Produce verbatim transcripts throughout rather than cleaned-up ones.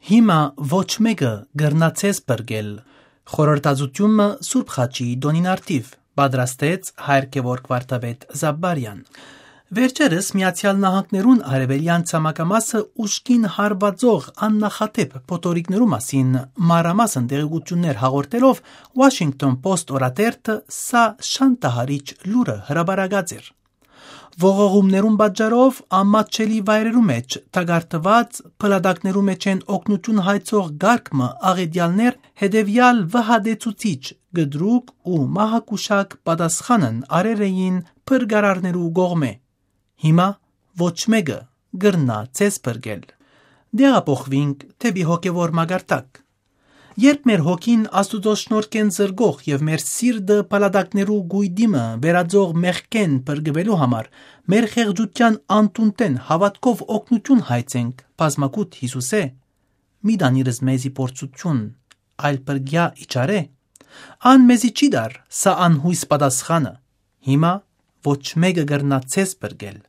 Հիմա ոչ մէկը կրնայ ձեզ փրկել։ Խորհրդածութիւն մը Սուրբ Խաչի տօնին առթիւ։ Պատրաստեց Հայր Գեորգ Վարդապետ Զապպարեան։ Վերջերս Միացեալ Նահանգներուն արեւելեան ցամաքամասը ուժգին հարուածող աննախադէպ փոթորիկներու մասին մանրամասն տեղեկութիւններ հաղորդելով, Washington Post օրաթերթը սա շանթահարիչ լուրը հրապարակած էր։ Ողողումներուն պատճառով անմատչելի վայրերու մէջ թակարդուած փլատակներու մէջէն օգնութիւն հայցող կարգ մը աղէտեալներ հետեւեալ վհատեցուցիչ կտրուկ ու մահակուշակ պատասխանն արեր էին փրկարարներու կողմէ։ Հիմա ոչ մէկը կրնայ ձեզ փրկել։ Դեղափոխուինք դէպի հոգեվոր մակարդակ։ Երբ մեր հոգին Աստուծոյ շնորհքէն զրկող եւ մեր սիրտը փլատակներու կոյտի մը վերածող մեղքէն փրկուելու համար մեր խեղճութեան անդունդէն հաւատքով օգնութիւն հայցենք բազմակուտ Յիսուսէ, մի տանիրս մեզի փորձութիւն, այլ փրկեայ իջարէ, ան մեզի չի տար սա անյոյս պատասխանը։ Հիմա ոչ մէկը կրնայ ձեզ փրկել,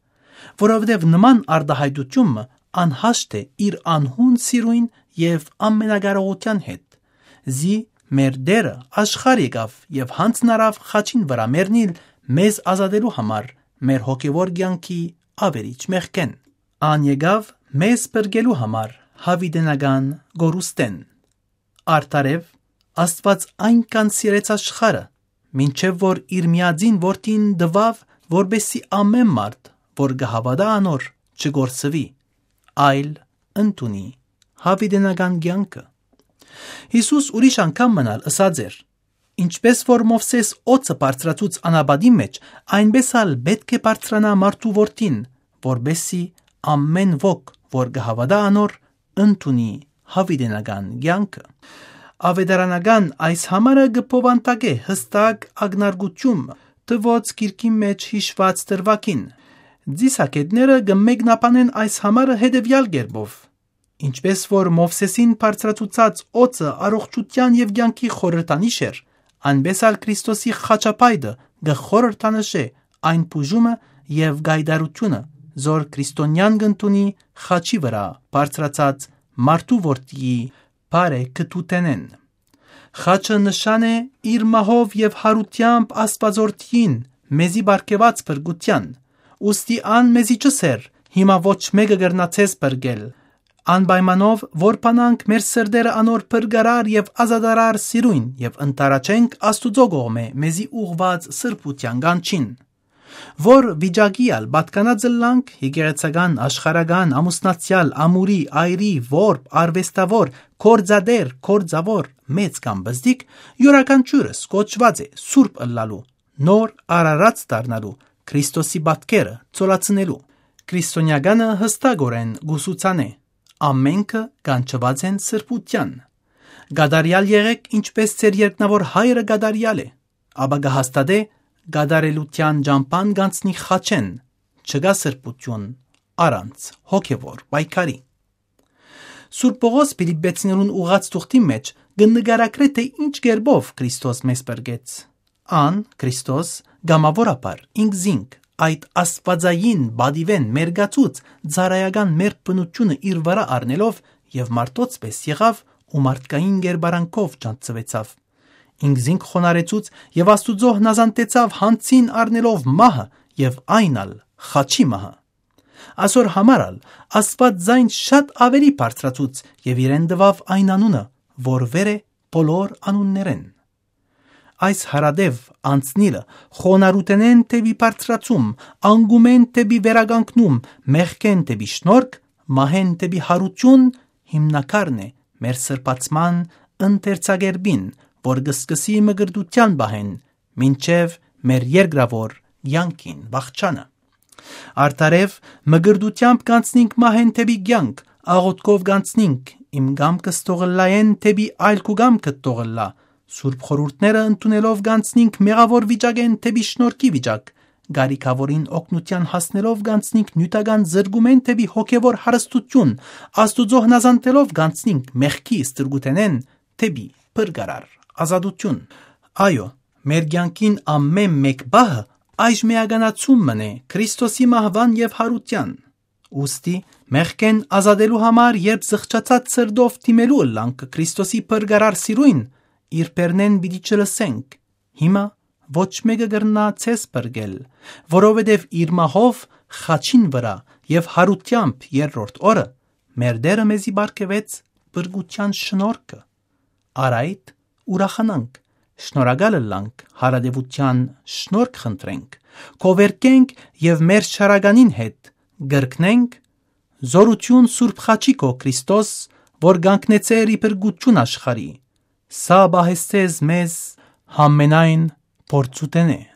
որովհետեւ նման արտայայտութիւն մը անհաշտ է իր անհուն սիրոյն եւ ամենակարողութեան հետ։ Զի մեր Տէրը աշխարհ եկաւ եւ յանձնարաւ խաչին վրայ մեռնիլ մեզ ազատելու համար մեր հոգեվոր կեանքի աւերիչ մեղքէն։ Ան եկաւ մեզ փրկելու համար յաւիտենական կորուստէն։ Արդարեւ, Աստուած այնքան սիրեց աշխարհը, մինչեւ որ իր միածին Որդին տուաւ, որպեսզի ամէն մարդ, որ կը հաւատայ անոր, չկորսուի, այլ ընդունի յաւիտենական կեանքը։ Յիսուս ուրիշ անգամ մըն ալ ըսած էր. «Ինչպէս որ Մովսէս օձը բարձրացուց անապատին մէջ, այնպէս ալ պէտք է բարձրանայ մարդու Որդին, որպեսզի ամէն ոք, որ կը հաւատայ անոր, ընդունի յաւիտենական կեանքը»։ Աւետարանական այս համարը կը բովանդակէ յստակ ակնարկութիւն մը, թուոց գիրքին մէջ յիշուած դրուագին։ Ծիսագետները կը մեկնաբանեն այս համարը հետեւեալ կերպով. «Ինչպէս որ Մովսէսին բարձրացուցած օձը առողջութեան եւ կեանքի խորհրդանիշ էր, այնպէս ալ Քրիստոսի խաչապայտը կը խորհրդանշէ այն բուժումը եւ գայտարարութիւնը, զոր քրիստոնեան կ'ընդունի խաչի վրայ բարձրացած մարդու Որդիի բարեգթութենէն։ Խաչը նշան է իր մահով եւ յարութեամբ Աստուածորդին մեզի պարգեւած փրկութեան, ուստի ան մեզի չըսեր. "Հիմա ոչ մէկը կրնայ ձեզ փրկել"։ Անպայմանով որբանանք մեր սրտերը անոր փրկարար եւ ազատարար սիրոյն եւ ընդառաջենք Աստուծոյ կողմէ մեզի ուղղուած սրբութեան կանչին, որ վիճակի ալ պատկանած ըլլանք եկեղեցական, աշխարհական, ամուսնացեալ, ամուրի, այրի, որբ, արուեստաւոր, գործատէր, գործաւոր, մեծ կամ պզտիկ, իւրաքանչիւրս կոչուած է սուրբ ըլլալու, նոր արարած դառնալու, Քրիստոսի պատկերը ցոլացնելու։ Քրիստոնեականը յստակօրէն կուսուցանէ. "Ամենքը կանչուած են սրբութեան։ Կատարեալ եղէք, ինչպէս ձեր երկնաւոր Հայրը կատարեալ է", ապա կը հաստատէ. "Կատարելութեան ճամբան կանցնի խաչէն, չկայ սրբութիւն առանց հոգեվոր պայքարի"։ Սուրբ Պողոս Փիլիպպեցիներուն ուղղած թուղթին մէջ կը նկարագրէ, թէ ինչ կերպով Քրիստոս մեզ փրկեց։ Ան, Քրիստոս, կամաւորաբար ինքզինք այդ աստուածային պատիւէն մերկացուց, ծառայական մեր բնութիւնը իր վրայ առնելով, եւ մարդոց պէս եղաւ ու մարդկային կերպարանքով ճանչցուեցաւ։ Ինքզինք խոնարհեցուց եւ Աստուծոյ հնազանդեցաւ, յանձին առնելով մահը, եւ այն ալ խաչի մահը։ Ասոր համար ալ Աստուած զայն շատ աւելի բարձրացուց եւ իրեն տուաւ այն անունը, որ վեր է բոլոր անուններէն։ Այս հարատեւ անցնիլը խոնարհութենէն դէպի բարձրացում, անկումէն դէպի վերականգնում, մեղքէն դէպի շնորհք, մահէն դէպի յարութիւն հիմնակարն է մեր սրբացման ընթերցակերպին, որ կը սկսի մկրտութեան պահէն, մինչեւ մեր երկրաւոր կեանքին վախճանը։ Արդարեւ, մկրտութեամբ կանցնինք մահէն դէպի կեանք, աղօթքով կանցնինք, "Իմ կամքս թող ըլլայէն դէպի այլ քու կամքդ թող ըլլայ", սուրբ խորհուրդները ընդունելով կանցնինք մեղաւոր վիճակէն դէպի շնորհքի վիճակ, կարիքաւորին օգնութեան հասնելով կանցնինք նիւթական զրկումէն դէպի հոգեվոր հարստութիւն, Աստուծոյ հնազանդելով կանցնինք մեղքի ստրկութենէն դէպի փրկարար ազատութիւն։ Այո, մեր կեանքին ամէն մէկ պահը այժմէականացում մըն է Քրիստոսի մահուան եւ յարութեան։ Ուստի, մեղքէն ազատելու համար, երբ զղջացած սրտով դիմելու ըլլանք Քրիստոսի փրկարար սիրոյն, իր բեռնէն պիտի չլսենք։ Հիմա ոչ մէկը կրնայ ձեզ փրկել, որովհետեւ իր մահով խաչին վրայ եւ յարութեամբ երրորդ օրը մեր Տէրը մեզի պարգեւեց փրկութեան շնորհքը։ Առ այդ ուրախանանք, շնորհակալ ըլլանք, յարատեւութեան շնորհք խնդրենք, կովերկենք եւ մեր շարականին հետ կրկնենք. «Զօրութիւն Սուրբ Խաչի քո Քրիստոս, որ կանգնեցեր ի փրկութիւն աշխարհի, սա պահեսցես մեզ յամենայն փորձութենէ»։